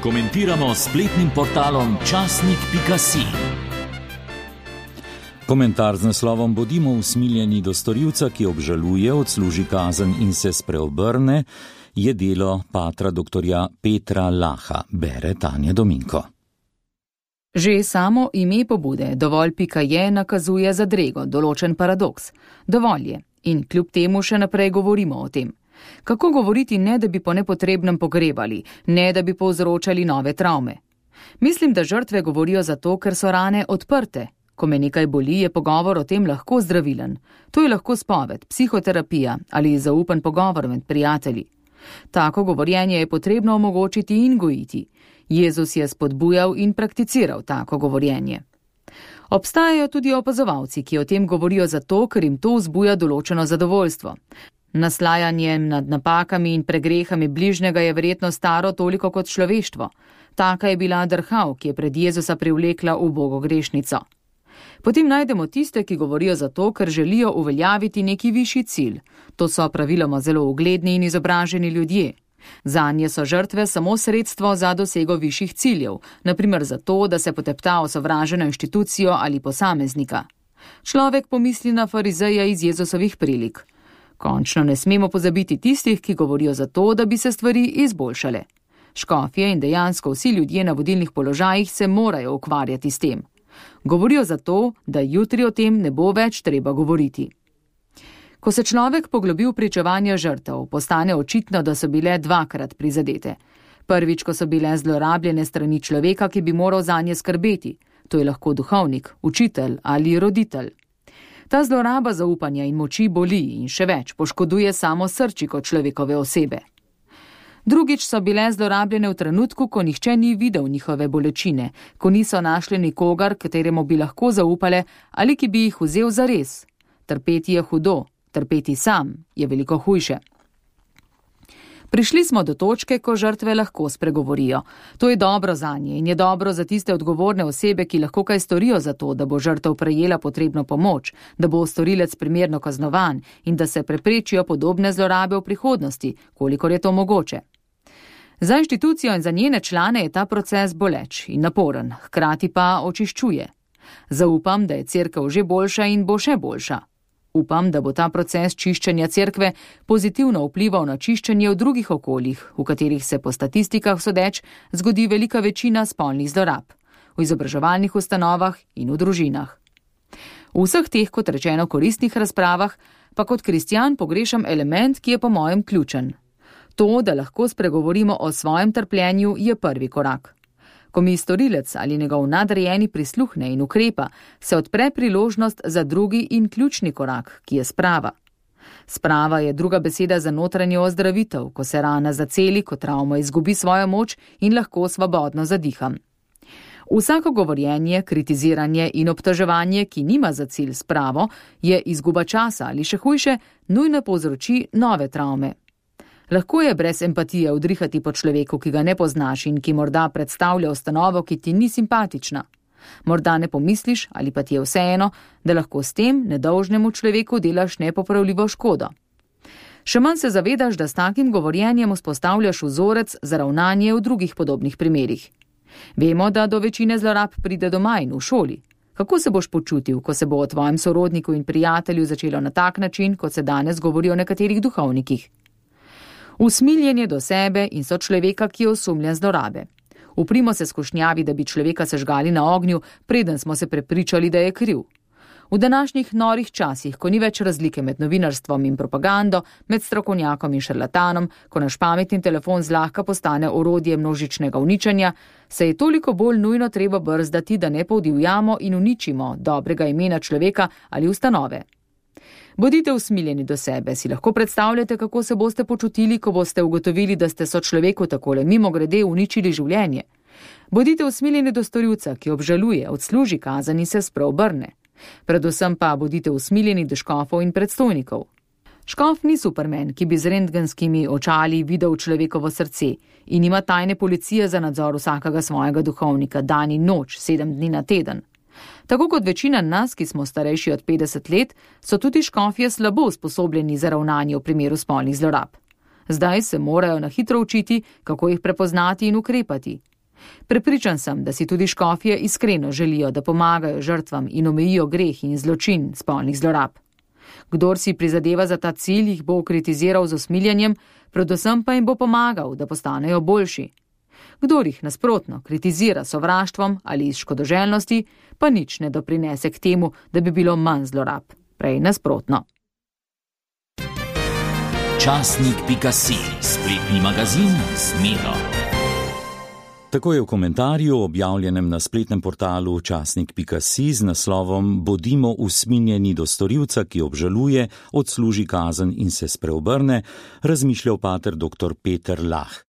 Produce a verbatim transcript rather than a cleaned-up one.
Komentiramo s spletnim portalom časnik pika si. Komentar z naslovom Bodimo usmiljeni do storilca, ki obžaluje, odsluži kazen in se spreobrne, je delo patra doktorja Petra Laha, bere Tanja Dominko. Že samo ime pobude dovolj pika je nakazuje zadrego, določen paradoks. Dovolj je in kljub temu še naprej govorimo o tem. Kako govoriti, ne da bi po nepotrebnem pogrebali, ne da bi povzročali nove travme? Mislim, da žrtve govorijo zato, ker so rane odprte. Ko me nekaj boli, je pogovor o tem lahko zdravilen. To je lahko spoved, psihoterapija ali zaupen pogovor med prijatelji. Tako govorjenje je potrebno omogočiti in gojiti. Jezus je spodbujal in prakticiral tako govorjenje. Obstajajo tudi opazovalci, ki o tem govorijo zato, ker jim to vzbuja določeno zadovoljstvo. Naslajanje nad napakami in pregrehami bližnjega je verjetno staro toliko kot človeštvo. Taka je bila drhav, ki je pred Jezusa privlekla ubogo grešnico. Potem najdemo tiste, ki govorijo zato, ker želijo uveljaviti neki višji cilj. To so praviloma zelo ugledni in izobraženi ljudje. Zanje so žrtve samo sredstvo za dosego višjih ciljev, na primer zato, da se potepta osovraženo inštitucijo ali posameznika. Človek pomisli na farizeja iz Jezusovih prilik. Končno ne smemo pozabiti tistih, ki govorijo zato, da bi se stvari izboljšale. Škofje in dejansko vsi ljudje na vodilnih položajih se morajo ukvarjati s tem. Govorijo zato, da jutri o tem ne bo več treba govoriti. Ko se človek poglobi v pričevanje žrtev, postane očitno, da so bile dvakrat prizadete. Prvič, ko so bile zlorabljene strani človeka, ki bi moral zanje skrbeti. To je lahko duhovnik, učitelj ali roditelj. Ta zloraba zaupanja in moči boli in še več poškoduje samo srčiko človekove osebe. Drugič so bile zlorabljene v trenutku, ko nihče ni videl njihove bolečine, ko niso našli nikogar, kateremu bi lahko zaupale ali ki bi jih vzel zares. Trpeti je hudo, trpeti sam je veliko hujše. Prišli smo do točke, ko žrtve lahko spregovorijo. To je dobro zanje in je dobro za tiste odgovorne osebe, ki lahko kaj storijo za to, da bo žrtev prejela potrebno pomoč, da bo storilec primerno kaznovan in da se preprečijo podobne zlorabe v prihodnosti, kolikor je to mogoče. Za inštitucijo in za njene člane je ta proces boleč in naporen, hkrati pa očiščuje. Zaupam, da je cerkev že boljša in bo še boljša. Upam, da bo ta proces čiščenja cerkve pozitivno vplival na čiščenje v drugih okoljih, v katerih se po statistikah sodeč zgodi velika večina spolnih zlorab, v izobraževalnih ustanovah in v družinah. V vseh teh, kot rečeno, koristnih razpravah pa kot kristjan pogrešam element, ki je po mojem ključen. To, da lahko spregovorimo o svojem trpljenju, je prvi korak. Ko mi storilec ali njegov nadrejeni prisluhne in ukrepa, se odpre priložnost za drugi in ključni korak, ki je sprava. Sprava je druga beseda za notranjo ozdravitev, ko se rana zaceli, ko travma izgubi svojo moč in lahko svobodno zadiham. Vsako govorjenje, kritiziranje in obtoževanje, ki nima za cilj spravo, je izguba časa ali še hujše, nujno povzroči nove travme. Lahko je brez empatije udrihati po človeku, ki ga ne poznaš in ki morda predstavlja ustanovo, ki ti ni simpatična. Morda ne pomisliš ali pa ti je vseeno, da lahko s tem nedolžnemu človeku delaš nepopravljivo škodo. Še manj se zavedaš, da s takim govorjenjem vzpostavljaš vzorec za ravnanje v drugih podobnih primerih. Vemo, da do večine zlorab pride doma in v šoli. Kako se boš počutil, ko se bo o tvojem sorodniku in prijatelju začelo na tak način, kot se danes govori o nekaterih duhovnikih? Usmiljenje do sebe in so človeka, ki je osumljen zlorabe. Uprimo se skušnjavi, da bi človeka sežgali na ognju, preden smo se prepričali, da je kriv. V današnjih norih časih, ko ni več razlike med novinarstvom in propagando, med strokovnjakom in šarlatanom, ko naš pametni telefon zlahka postane orodje množičnega uničenja, se je toliko bolj nujno treba brzdati, da ne podivjamo in uničimo dobrega imena človeka ali ustanove. Bodite usmiljeni do sebe, si lahko predstavljate, kako se boste počutili, ko boste ugotovili, da ste sočloveku takole mimogrede uničili življenje. Bodite usmiljeni do storilca, ki obžaluje, odsluži kazen in se spreobrne. Predvsem pa bodite usmiljeni do škofov in predstojnikov. Škof ni superman, ki bi z rentgenskimi očali videl človekovo srce in ima tajne policije za nadzor vsakega svojega duhovnika, dan in noč, sedem dni na teden. Tako kot večina nas, ki smo starejši od petdeset let, so tudi škofje slabo usposobljeni za ravnanje v primeru spolnih zlorab. Zdaj se morajo na hitro učiti, kako jih prepoznati in ukrepati. Prepričan sem, da si tudi škofje iskreno želijo, da pomagajo žrtvam in omejijo greh in zločin spolnih zlorab. Kdor si prizadeva za ta cilj, jih bo kritiziral z usmiljanjem, predvsem pa jim bo pomagal, da postanejo boljši. Kdor jih nasprotno kritizira sovraštvom ali iz škodoželjnosti, pa nič ne doprinese k temu, da bi bilo manj zlorab. Prej nasprotno. Časnik pika si, spletni magazin z Miro. Tako je v komentarju, objavljenem na spletnem portalu časnik pika si z naslovom Bodimo usmiljeni do storilca, ki obžaluje, odsluži kazen in se spreobrne, razmišljal pater doktor Peter Lah.